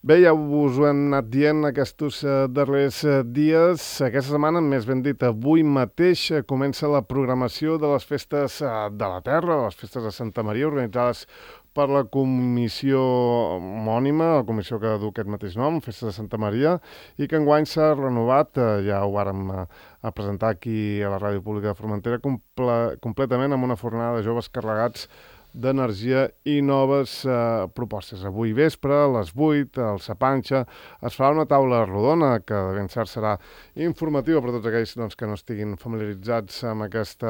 Bé, ja us ho hem anat dient aquests darrers dies. Aquesta setmana, més ben dit, avui mateix comença la programació de les festes de la Terra, les festes de Santa Maria, organitzades per la comissió homònima, la comissió que du aquest mateix nom, Festes de Santa Maria, i que enguany s'ha renovat, ja ho vàrem a presentar aquí a la Ràdio Pública de Formentera, completament amb una fornada de joves carregats d'energia i noves propostes. Avui vespre, a les 8, al Sapanxa, es farà una taula rodona que de ben cert serà informativa per a tots aquells que no estiguin familiaritzats amb aquest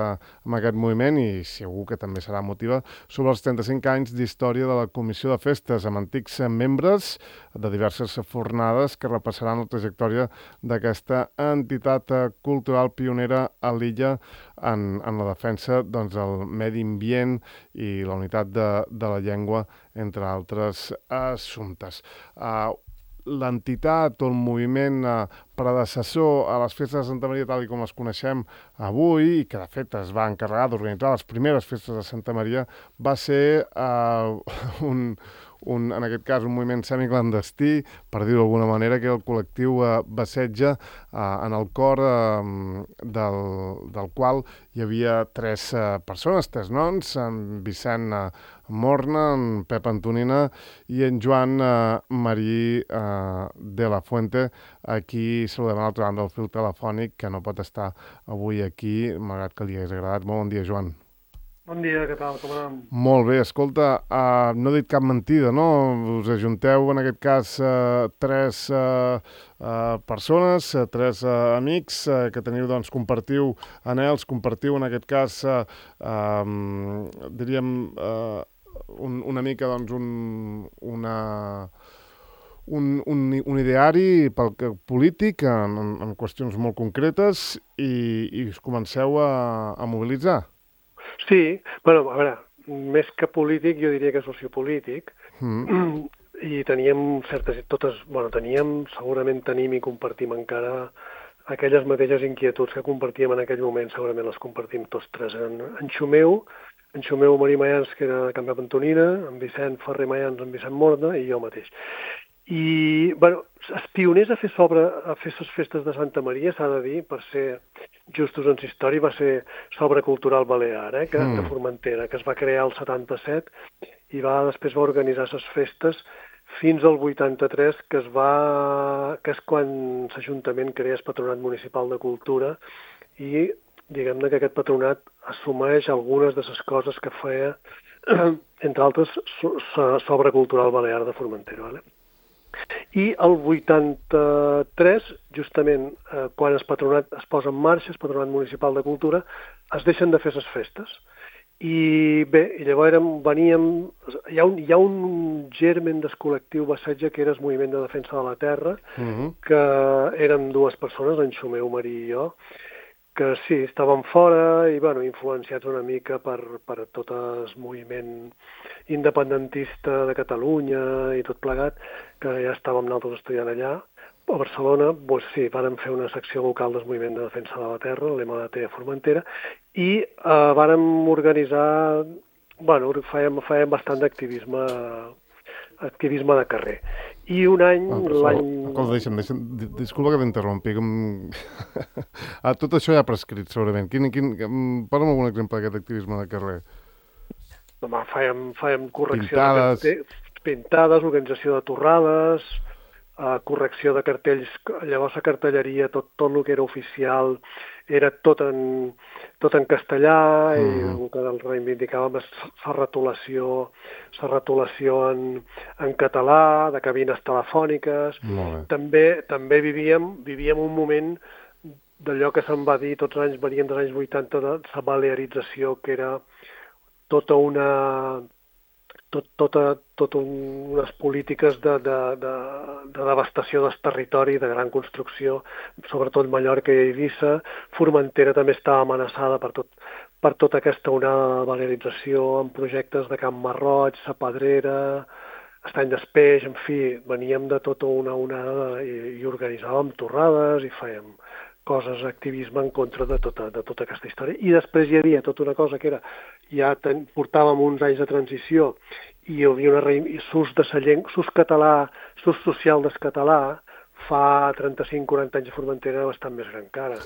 moviment i segur que també serà motiva sobre els 35 anys d'història de la Comissió de Festes amb antics membres de diverses fornades que repassaran la trajectòria d'aquesta entitat cultural pionera a l'illa en la defensa del medi ambient i la unitat de la llengua, entre altres assumptes. L'entitat o el moviment predecessor a les festes de Santa Maria tal com les coneixem avui, i que de fet es va encarregar d'organitzar les primeres festes de Santa Maria, va ser en aquest cas un moviment semiclandestí, per dir-ho d'alguna manera, que era el col·lectiu Bassetja, en el cor del qual hi havia tres persones, tres noms, en Vicent Morna, en Pep Antonina i en Joan Marí de la Fuente. Aquí saludem a l'altra banda del fil telefònic, que no pot estar avui aquí, malgrat que li hagués agradat. Molt bon dia, Joan. Bon dia, què tal? Com anem? Molt bé, escolta, no he dit cap mentida, no? Us ajunteu, en aquest cas, tres persones, tres amics que teniu, compartiu anhels, compartiu, en aquest cas, diríem, una mica, un ideari polític en qüestions molt concretes i us comenceu a mobilitzar. Sí, bueno, a veure, més que polític jo diria que sociopolític, i teníem segurament tenim i compartim encara aquelles mateixes inquietuds que compartíem en aquell moment, segurament les compartim tots tres. En Xumeu Marí Mayans, que era de Can Pep Antonina, en Vicent Ferrer Mayans, en Vicent Morna, i jo mateix. I, bueno, els pioners a fer les festes de Santa Maria, s'ha de dir, per ser justos en història, va ser Sobre Cultural Balear, de Formentera, que es va crear el 77 i després va organitzar les festes fins al 83, que és quan l'Ajuntament crea el Patronat Municipal de Cultura i, diguem-ne, que aquest patronat assumeix algunes de les coses que feia, entre altres, Sobre Cultural Balear de Formentera, vale? I el 83, justament quan el patronat es posa en marxa, el Patronat Municipal de Cultura, es deixen de fer les festes. I bé, llavors hi ha un germen del col·lectiu Bassetja que era el Moviment de Defensa de la Terra, que érem dues persones, en Xumeu Marí i jo, que sí, estàvem fora i influenciats una mica per tot el moviment independentista de Catalunya i tot plegat, que ja estàvem nosaltres estudiant allà. A Barcelona, doncs sí, vàrem fer una secció local del Moviment de Defensa de la Terra, l'MDT a Formentera, i vàrem organitzar, fèiem bastant d'activisme de carrer. I un any, disculpa que t'interrompi. Tot això ja ha prescrit, segurament. Parla'm algun exemple d'aquest activisme de carrer. Fèiem correcció pintades, organització de torrades, correcció de cartells. Llavors la cartelleria, tot el que era oficial, era tot en castellà, i el que reivindicàvem és la retolació en català, de cabines telefòniques. També vivíem un moment d'allò que se'n va dir, tots els anys, venien dels anys 80, de la balearització, que era totes unes polítiques de devastació del territori, de gran construcció, sobretot Mallorca i Eivissa. Formentera també estava amenaçada per tota aquesta onada de balearització, amb projectes de Camp Marroig, La Pedrera, Estany d'Espeix, en fi, veníem de tota una onada i organitzàvem torrades i fèiem coses, activisme en contra de tota aquesta història. I després hi havia tota una cosa que era, ja portàvem uns anys de transició hi havia s'ús català, s'ús social del català, fa 35-40 anys a Formentera era bastant més gran que ara.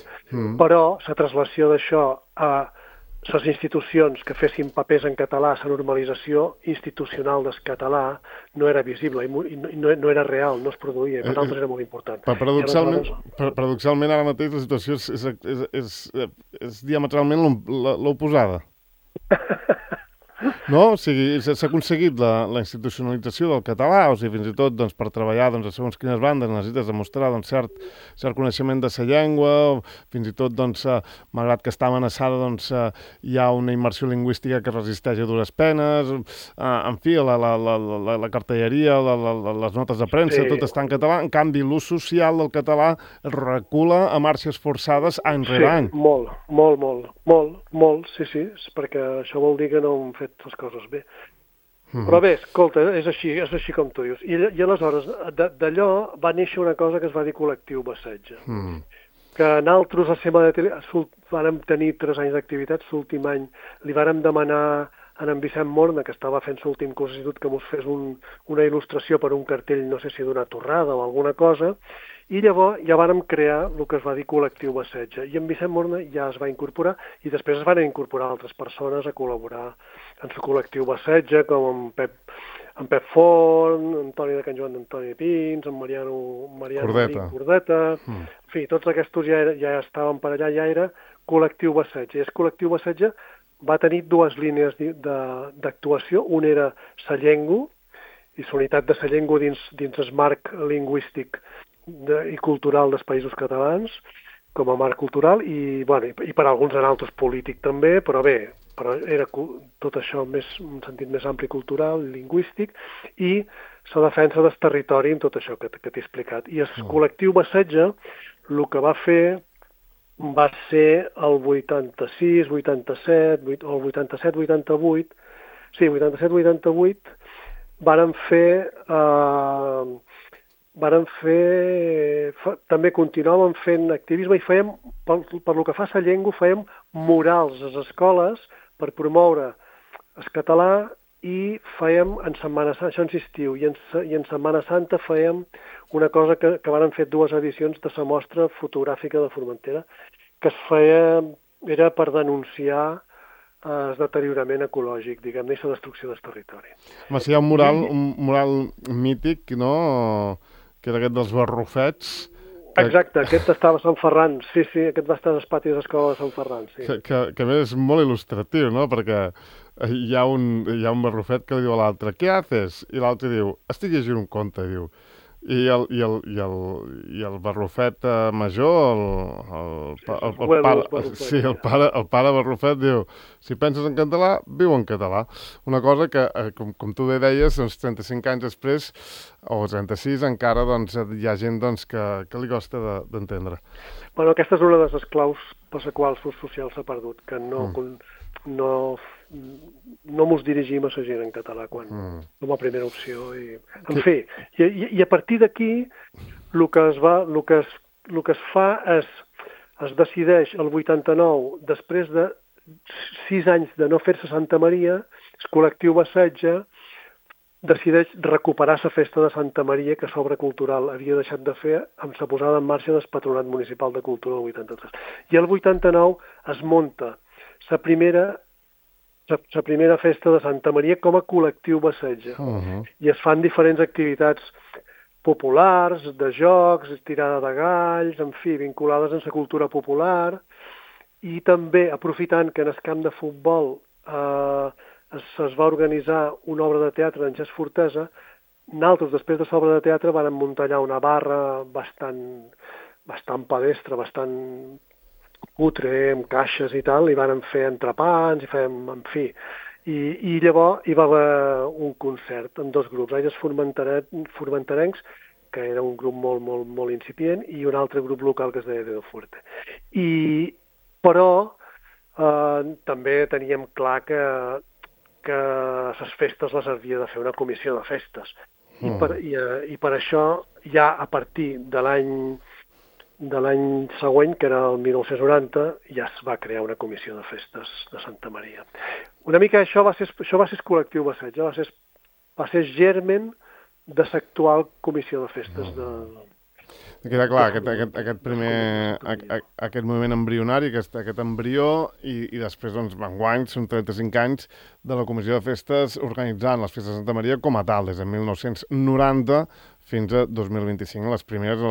Però la translació d'això a les institucions que fessin papers en català, la normalització institucional del català no era visible i no era real, no es produïa, i per nosaltres era molt important. Paradoxalment ara mateix la situació és diametralment l'oposada. No? O sigui, s'ha aconseguit la institucionalització del català, o sigui, fins i tot doncs, per treballar doncs, a segons quines bandes necessites demostrar doncs, cert coneixement de la llengua, fins i tot, doncs, malgrat que està amenaçada, doncs, hi ha una immersió lingüística que resisteix a dures penes, en fi, la cartelleria, les notes de premsa, tot està en català, en canvi l'ús social del català recula a marxes forçades any rere any. Molt, sí, perquè això vol dir que no hem fet les coses bé. Però bé, escolta, és així com tu dius. I aleshores, d'allò va néixer una cosa que es va dir Col·lectiu Bassetge. Que nosaltres a Sema de Tele vàrem tenir 3 anys d'activitat, l'últim any li vàrem demanar a en Vicent Morna, que estava fent l'últim curs d'institut, que ens fes una il·lustració per un cartell, no sé si d'una torrada o alguna cosa, i llavors ja vàrem crear el que es va dir Col·lectiu Bassetge. I en Vicent Morna ja es va incorporar i després es van incorporar altres persones a col·laborar en el Col·lectiu Bassetge, com en Pep Forn, Antoni de Can Joan d'Antoni Pins, en Mariano Cordeta. En fi, tots aquests ja estaven per allà, ja era Col·lectiu Bassetge. I el Col·lectiu Bassetge va tenir 2 línies d'actuació. Una era la llengua i la unitat de la llengua dins el marc lingüístic i cultural dels països catalans, com a marc cultural, i per alguns altres polític també, però era tot això en un sentit més ampli cultural, lingüístic, i la defensa del territori en tot això que t'he explicat. I el Col·lectiu Bassetge el que va fer va ser el 86, 87, o el 87, 88, sí, 87, 88, també continuàvem fent activisme i fèiem, per lo que fa a la llengua, fèiem murals a les escoles per promoure el català i fèiem en Setmana Santa, això en estiu, i en Setmana Santa fèiem una cosa que varen fer 2 edicions de la mostra fotogràfica de Formentera, que era per denunciar el deteriorament ecològic, diguem-ne, i la destrucció del territori. Home, si hi ha un mural mític, no?, que era aquest dels barrufets. Exacte, aquest estava a Sant Ferran, sí, aquest va estar als patis de l'escola de Sant Ferran, sí. Que a més és molt il·lustratiu, no?, perquè hi ha un barrufet que li diu a l'altre, «Què haces?» I l'altre diu, «Estic llegint un conte», diu. I el barrufet major, el pare barrufet diu, si penses en català, viu en català. Una cosa que, com tu bé deies, doncs 35 anys després, o 36, encara doncs, hi ha gent doncs, que li costa d'entendre. Bueno, aquesta és una de les claus per la qual l'ús social s'ha perdut, que no mos dirigim a la gent en català com a primera opció. En fi, i a partir d'aquí el que es fa és es decideix el 89, després de 6 anys de no fer-se Santa Maria, el Col·lectiu Bassetge decideix recuperar la festa de Santa Maria que l'obra cultural havia deixat de fer amb la posada en marxa del Patronat Municipal de Cultura del 83. I el 89 es munta la primera festa de Santa Maria com a Col·lectiu Bassetge. I es fan diferents activitats populars, de jocs, tirada de galls, en fi, vinculades amb la cultura popular, i també aprofitant que en el camp de futbol es va organitzar una obra de teatre d'en Gest Fortesa, nosaltres, després de l'obra de teatre, vam muntar allà una barra bastant pedestre, bastant cutre, amb caixes i tal, i vàrem fer entrepans, i fèiem, en fi. I llavors hi va haver un concert amb 2 grups, els formenterencs, que era un grup molt incipient, i un altre grup local que es deia Dedo Fuerte. Però també teníem clar que les festes les havia de fer una comissió de festes. I per això, ja a partir de l'any següent, que era el 1990, ja es va crear una comissió de festes de Santa Maria. Una mica això va ser el Col·lectiu Bassetge, va ser va ser germen de l'actual comissió de festes de... Queda clar, aquest moviment embrionari, aquest embrió, i després, doncs, enguany, són 35 anys de la Comissió de Festes organitzant les Festes de Santa Maria com a tal, des de 1990 fins a 2025. Les primeres,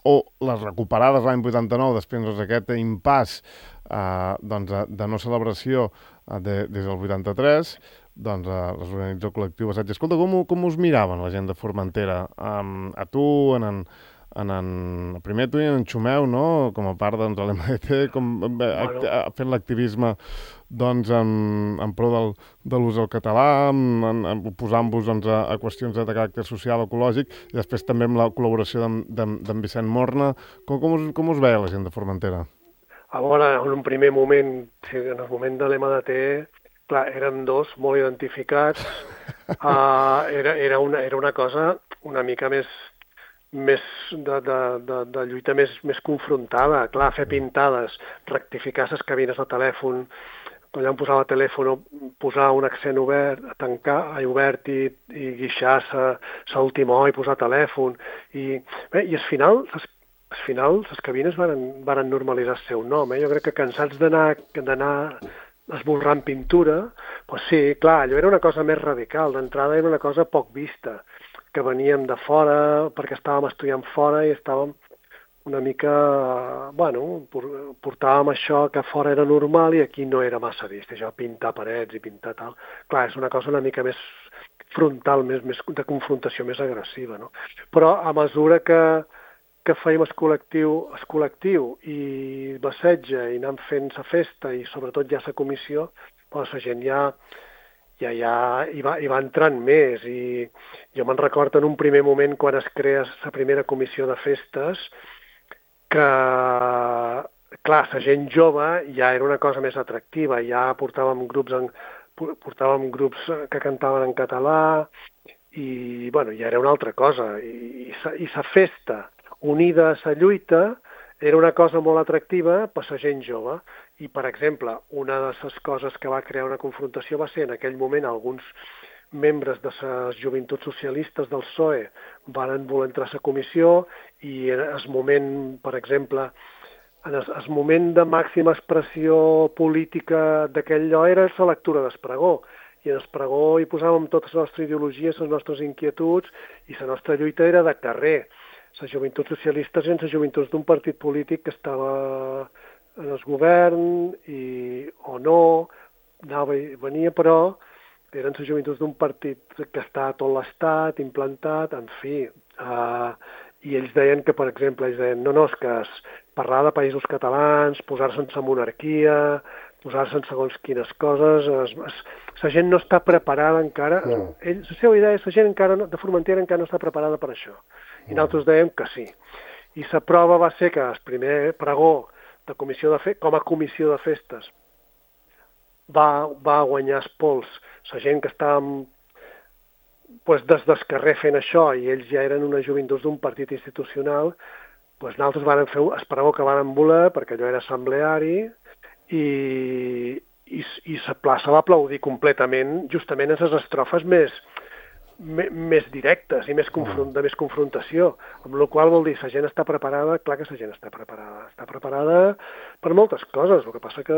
o les recuperades l'any 89, després d'aquest impàs de no celebració des del 83, doncs les organitza el col·lectiu Assaig. Escolta, com us miraven la gent de Formentera? A tu, primer tu i en Xumeu, no? Com a part de l'MDT, fent l'activisme doncs, en pro de l'ús del català, posant-vos a qüestions de caràcter social, ecològic, i després també amb la col·laboració d'en Vicent Morna. Com us veia la gent de Formentera? A veure, en un primer moment, en el moment de l'MDT, clar, érem dos molt identificats. Era una cosa una mica més de lluita més confrontada. Clar, fer pintades, rectificar les cabines de telèfon, quan ja em posava telèfon, posar un accent obert, tancar obert i guixar l'última O i posar telèfon. I al final les cabines varen normalitzar el seu nom. Jo crec que cansats d'anar esborrant pintura, doncs sí, clar, allò era una cosa més radical. D'entrada era una cosa poc vista, que veníem de fora perquè estàvem estudiant fora i estàvem una mica, portàvem això que fora era normal i aquí no era massa vist, això, pintar parets i pintar tal. Clar, és una cosa una mica més frontal, més de confrontació més agressiva, no? Però a mesura que fèiem el col·lectiu i Bassetja i anàvem fent la festa i sobretot ja la comissió, doncs la gent ja hi va entrant més. I jo me'n recordo en un primer moment quan es crea la primera comissió de festes que, clar, la gent jove ja era una cosa més atractiva, ja portàvem grups que cantaven en català i, ja era una altra cosa. I la festa unida a la lluita era una cosa molt atractiva per la gent jove. I, per exemple, una de les coses que va crear una confrontació va ser en aquell moment alguns membres de les joventuts socialistes del PSOE van voler entrar a la comissió i en el moment, per exemple, en el moment de màxima expressió política d'aquell lloc era la lectura d'Espregó. I en Espregó hi posàvem tota la nostra ideologia, les nostres inquietuds i la nostra lluita era de carrer. Les joventuts socialistes eren les joventuts d'un partit polític que estava en el govern o no, anava i venia, però eren les joventuts d'un partit que està a tot l'estat, implantat, en fi. I ells deien que, per exemple, no, és que parlar de països catalans, posar-se en la monarquia, posar-se en segons quines coses, la gent no està preparada encara. La seva idea és que la gent de Formentera encara no està preparada per això. I nosaltres dèiem que sí. I la prova va ser que el primer pregó de com a comissió de festes va guanyar els pols la gent que estàvem des del carrer fent això i ells ja eren unes joventuts d'un partit institucional, nosaltres vam fer el pregó que vam voler perquè allò era assembleari i la plaça va aplaudir completament justament en les estrofes més directes i de més confrontació, amb la qual vol dir la gent està preparada, clar que la gent està preparada per moltes coses, el que passa que,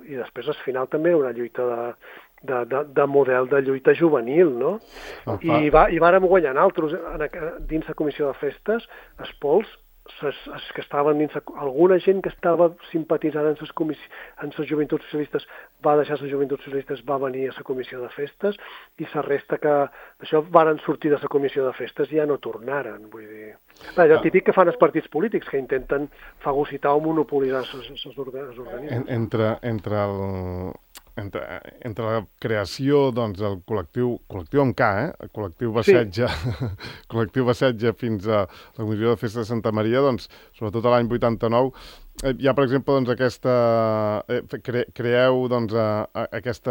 i després al final també una lluita de model de lluita juvenil, no? I vàrem guanyar nosaltres dins la comissió de festes els pols, els que estaven dins, alguna gent que estava simpatitzant en les joventuts socialistes va deixar les joventuts socialistes, va venir a la comissió de festes i la resta que d'això varen sortir de la comissió de festes i ja no tornaren, vull dir. Allò típic que fan els partits polítics, que intenten fagocitar o monopolitzar els organismes. Entre la creació del col·lectiu amb K, el col·lectiu Bassetja, col·lectiu Bassetja fins a la Comissió de Festes de Santa Maria, sobretot a l'any 89, hi ha, per exemple, creeu aquest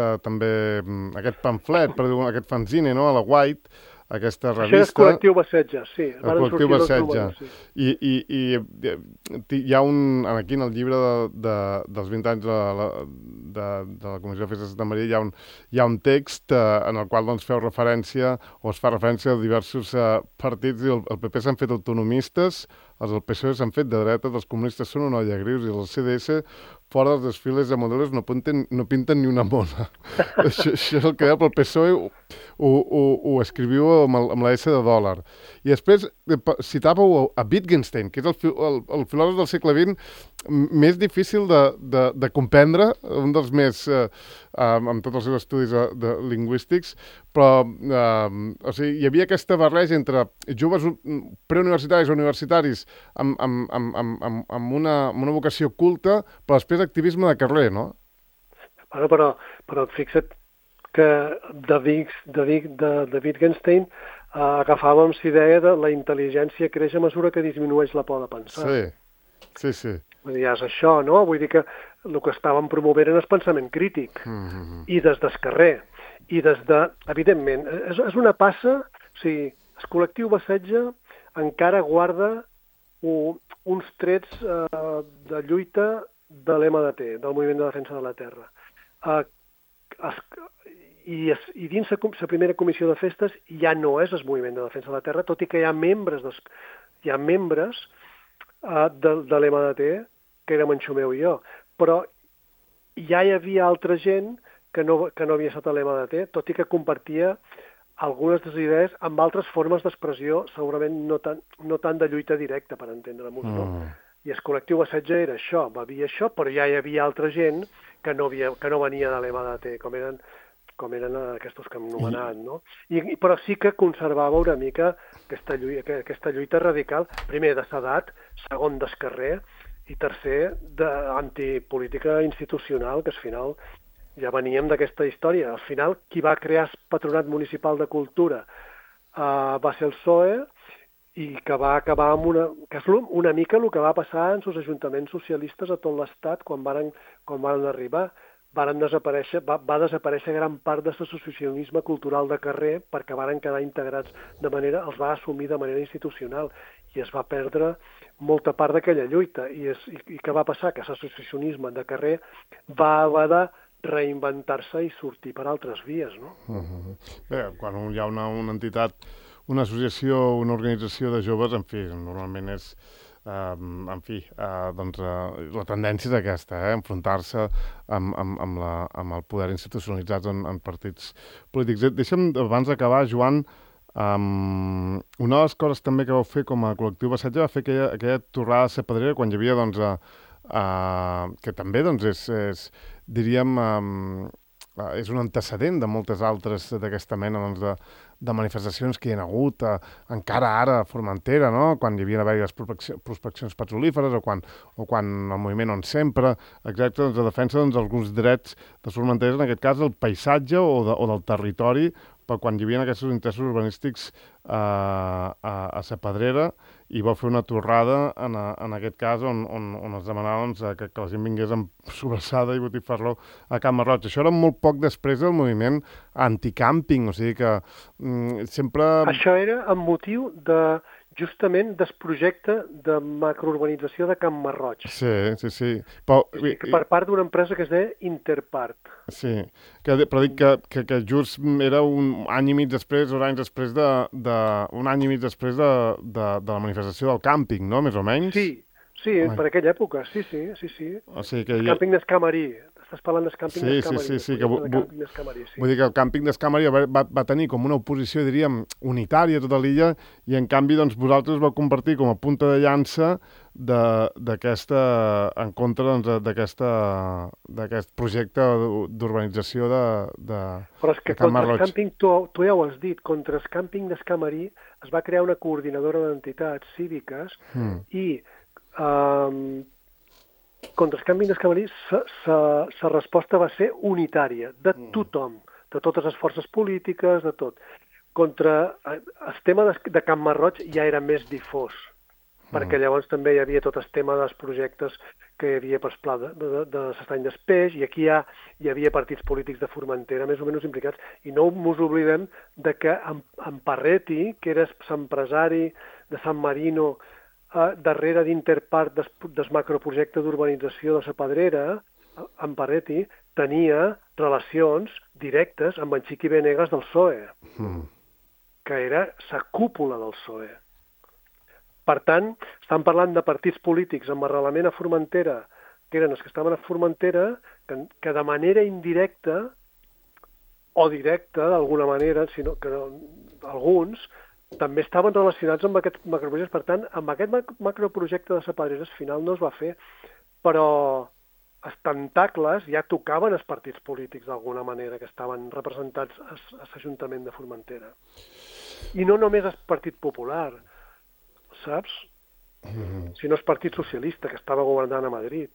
pamflet, aquest fanzine, no?, a la White, aquesta Això és revista. Col·lectiu Bassetja, sí. El Col·lectiu Bassetja. I hi ha aquí en el llibre dels 20 anys de la Comissió de Festes de Santa Maria hi ha un text en el qual doncs, feu referència, o es fa referència a diversos partits, i el PP s'han fet autonomistes, els del PSOE s'han fet de dreta, els comunistes són una olla grius, i els CDS fora dels desfiles de modelos no pinten ni una mona. Això és el que deia pel PSOE, ho escriviu amb la S de dòlar. I després citàveu a Wittgenstein, que és el filòsof del segle XX més difícil de comprendre, un dels més, amb tots els seus estudis lingüístics, però o sigui, hi havia aquesta barreja entre joves preuniversitaris o universitaris amb una vocació culta, però després activisme de carrer, no? Bueno, però fixa't que de Wittgenstein agafàvem la idea de la intel·ligència creix a mesura que disminueix la por de pensar. Sí. Vull dir, és això, no? Vull dir que el que estàvem promovent era el pensament crític, i des del carrer, i des de... Evidentment, és una passa, o sigui, el Col·lectiu Bassetja encara guarda uns trets de lluita de l'MDT, del Moviment de Defensa de la Terra. I dins la primera comissió de festes ja no és el Moviment de Defensa de la Terra, tot i que hi ha membres de l'MDT, que érem en Xumeu i jo, però ja hi havia altra gent que no havia estat a l'MDT, tot i que compartia algunes de les idees amb altres formes d'expressió, segurament no tant de lluita directa, per entendre-nos, no? I el Col·lectiu Bassetja era això, va havia això, però ja hi havia altra gent que no venia de l'MDT, com eren aquests que hem anomenat, no? Però sí que conservava una mica aquesta lluita radical, primer de l'edat, segon del carrer, i tercer d'antipolítica institucional, que al final ja veníem d'aquesta història. Al final, qui va crear el Patronat Municipal de Cultura va ser el PSOE, i que va acabar amb que és una mica el que va passar en els ajuntaments socialistes a tot l'Estat quan van arribar. Va desaparèixer gran part de l'associacionisme cultural de carrer perquè van quedar integrats els va assumir de manera institucional, i es va perdre molta part d'aquella lluita. I què va passar? Que l'associacionisme de carrer va haver de reinventar-se i sortir per altres vies, no? Bé, quan hi ha una entitat, una associació, una organització de joves, en fi, normalment és... doncs la tendència és aquesta, enfrontar-se amb el poder institucionalitzat en partits polítics. Deixa'm, abans d'acabar, Joan, una de les coses també que vau fer com a Col·lectiu Bassetja va fer aquella torrada a la Pedrera, quan hi havia, que també és diríem, és un antecedent de moltes altres d'aquesta mena de manifestacions que hi ha hagut encara ara a Formentera, no? Quan hi havia les prospeccions petrolíferes o quan el moviment On Sempre, exacte, de defensa d'alguns drets de Formentera, en aquest cas del paisatge o del territori, però quan hi havia aquests interessos urbanístics a la Pedrera, i va fer una torrada en aquest cas on es demanava que la gent vingués amb sobrassada i botifarró a Can Marroig. Això era molt poc després del moviment anticàmping, o sigui que sempre... Això era amb motiu justament del projecte de macrourbanització de Can Marroig. Sí. Però, per part d'una empresa que es deia Interpart. Sí, però dic que just era un any i mig després, un any després de la manifestació del càmping, no?, més o menys? Sí, per aquella època, sí. O sigui que Càmping d'Escamarí. Estàs parlant del càmping d'Escamarí. Sí. Vull dir que el càmping d'Escamarí va tenir com una oposició, diríem, unitària a tota l'illa, i en canvi doncs, vosaltres vau compartir com a punta de llança en contra d'aquest projecte d'urbanització de Però és que contra el càmping, tu ja ho has dit, contra el càmping d'Escamarí es va crear una coordinadora d'entitats cíviques i contra el càmping d'Escamarí la resposta va ser unitària, de tothom, de totes les forces polítiques, de tot. Contra el tema de Can Marroig ja era més difós. perquè llavors també hi havia tot el tema dels projectes que hi havia per Pla de l'Estany d'Espeix, i aquí hi havia partits polítics de Formentera més o menys implicats, i no ens oblidem de que en Parretti, que era l'empresari de San Marino, darrere d'Interpark del macroprojecte d'urbanització de la Pedrera, en Parretti tenia relacions directes amb en Chiqui Venegas del PSOE, que era la cúpula del PSOE. Per tant, estan parlant de partits polítics amb arrelament a Formentera, que eren els que estaven a Formentera, que de manera indirecta o directa, d'alguna manera, sinó que alguns també estaven relacionats amb aquests macroprojectes. Per tant, amb aquest macroprojecte de Pedrera al final no es va fer, però els tentacles ja tocaven els partits polítics d'alguna manera que estaven representats a l'Ajuntament de Formentera. I no només el Partit Popular, saps? Sinó el Partit Socialista, que estava governant a Madrid.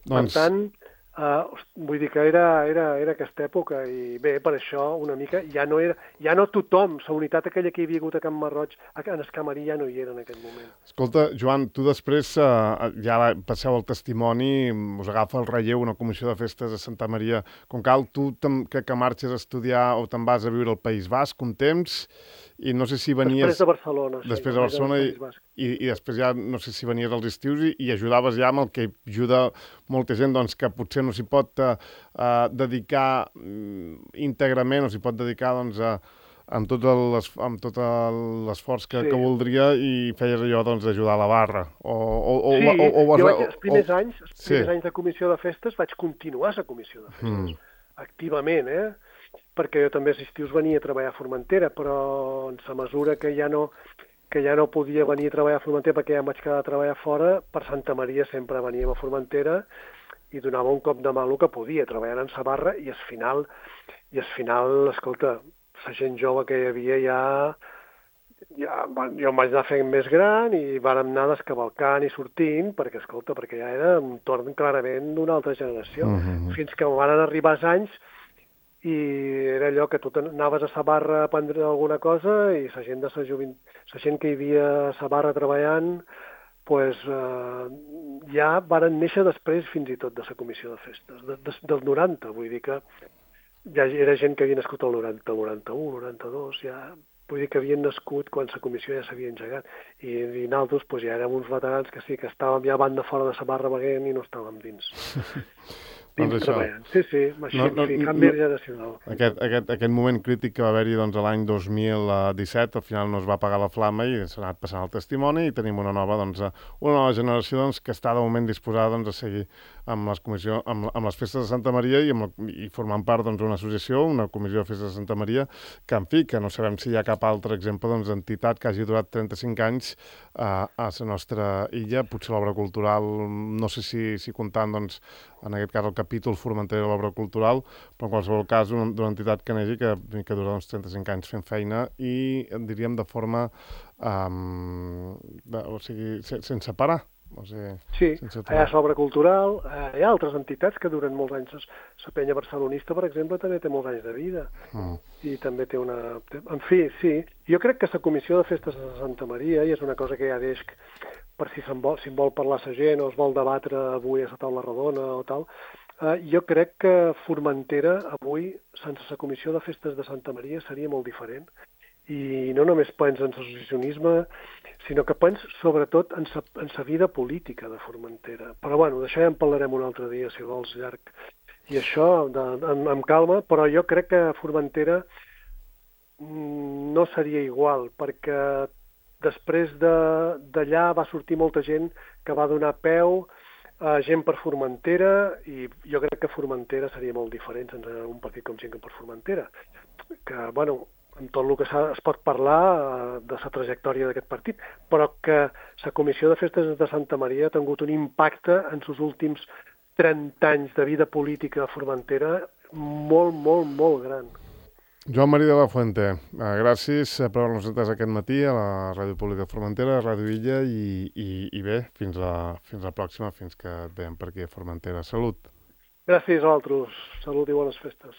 Per tant, vull dir que era aquesta època, i bé, per això una mica ja no tothom, la unitat aquella que hi havia hagut a Can Marroig, en Escamarí ja no hi era en aquell moment. Escolta, Joan, tu després ja passeu el testimoni, us agafa el relleu una comissió de festes a Santa Maria. Com cal, tu que marxes a estudiar o te'n vas a viure al País Basc un temps, i no sé si venies... Després de Barcelona. Després de Barcelona, i després ja no sé si venies als estius i ajudaves ja amb el que ajuda molta gent, doncs, que potser no s'hi pot dedicar íntegrament, o s'hi pot dedicar, doncs, amb tot l'esforç que voldria, i feies allò, doncs, d'ajudar a la barra. Els primers anys de comissió de festes vaig continuar a la comissió de festes, activament, perquè jo també als estius venia a treballar a Formentera, però en la mesura que ja no podia venir a treballar a Formentera perquè ja em vaig quedar a treballar fora, per Santa Maria sempre veníem a Formentera i donava un cop de mà el que podia, treballant en la barra, i al final, escolta, la gent jove que hi havia jo em vaig anar fent més gran i vàrem anar descavalcant i sortint, perquè ja era un torn clarament d'una altra generació. Fins que van arribar els anys i era allò que tu anaves a la barra a aprendre alguna cosa, i la gent que hi havia a la barra treballant, ja varen néixer després fins i tot de la comissió de festes, del 90, vull dir que ja era gent que havia nascut el 90, el 91, el 92, ja, vull dir que havien nascut quan la comissió ja s'havia engegat, i nosaltres ja érem uns veterans que sí, que estàvem ja a banda fora de la barra beguent i no estàvem dins. treballant. Sí, canvi generacional. Aquest moment crític que va haver-hi l'any 2017, al final no es va apagar la flama i s'ha anat passant el testimoni i tenim una nova generació que està de moment disposada a seguir amb les festes de Santa Maria i formant part d'una associació, una comissió de festes de Santa Maria, que en fi, que no sabem si hi ha cap altre exemple d'entitat que hagi durat 35 anys a la nostra illa. Potser l'obra cultural, no sé si comptant en aquest cas el capítol Formentera de l'obra cultural, però en qualsevol cas d'una entitat que neixi que dura 35 anys fent feina i diríem de forma sense parar. Sí, hi ha l'obra cultural, hi ha altres entitats que duren molts anys. La penya barcelonista, per exemple, també té molts anys de vida i també té una... En fi, sí, jo crec que la comissió de festes de Santa Maria, i és una cosa que ja deix per si en vol parlar la gent o es vol debatre avui a la taula rodona o tal, jo crec que Formentera avui, sense la comissió de festes de Santa Maria, seria molt diferent. I no només pensa en l'associacionisme, sinó que pensa sobretot en la vida política de Formentera. Però bueno, d'això ja en parlarem un altre dia, si vols, llarg. I això, amb calma, però jo crec que Formentera no seria igual, perquè després d'allà va sortir molta gent que va donar peu a gent per Formentera, i jo crec que Formentera seria molt diferent sense un partit com Gent per Formentera. Que, bueno, en tot el que es pot parlar de la trajectòria d'aquest partit, però que la Comissió de Festes de Santa Maria ha tingut un impacte en els últims 30 anys de vida política a Formentera molt, molt, molt gran. Joan Maria de la Fuente, gràcies per haver-nos atès aquest matí a la Ràdio Pública de Formentera, a Ràdio Illa, i bé, fins la pròxima, fins que et veiem per aquí a Formentera. Salut! Gràcies a vosaltres. Salut i bones festes.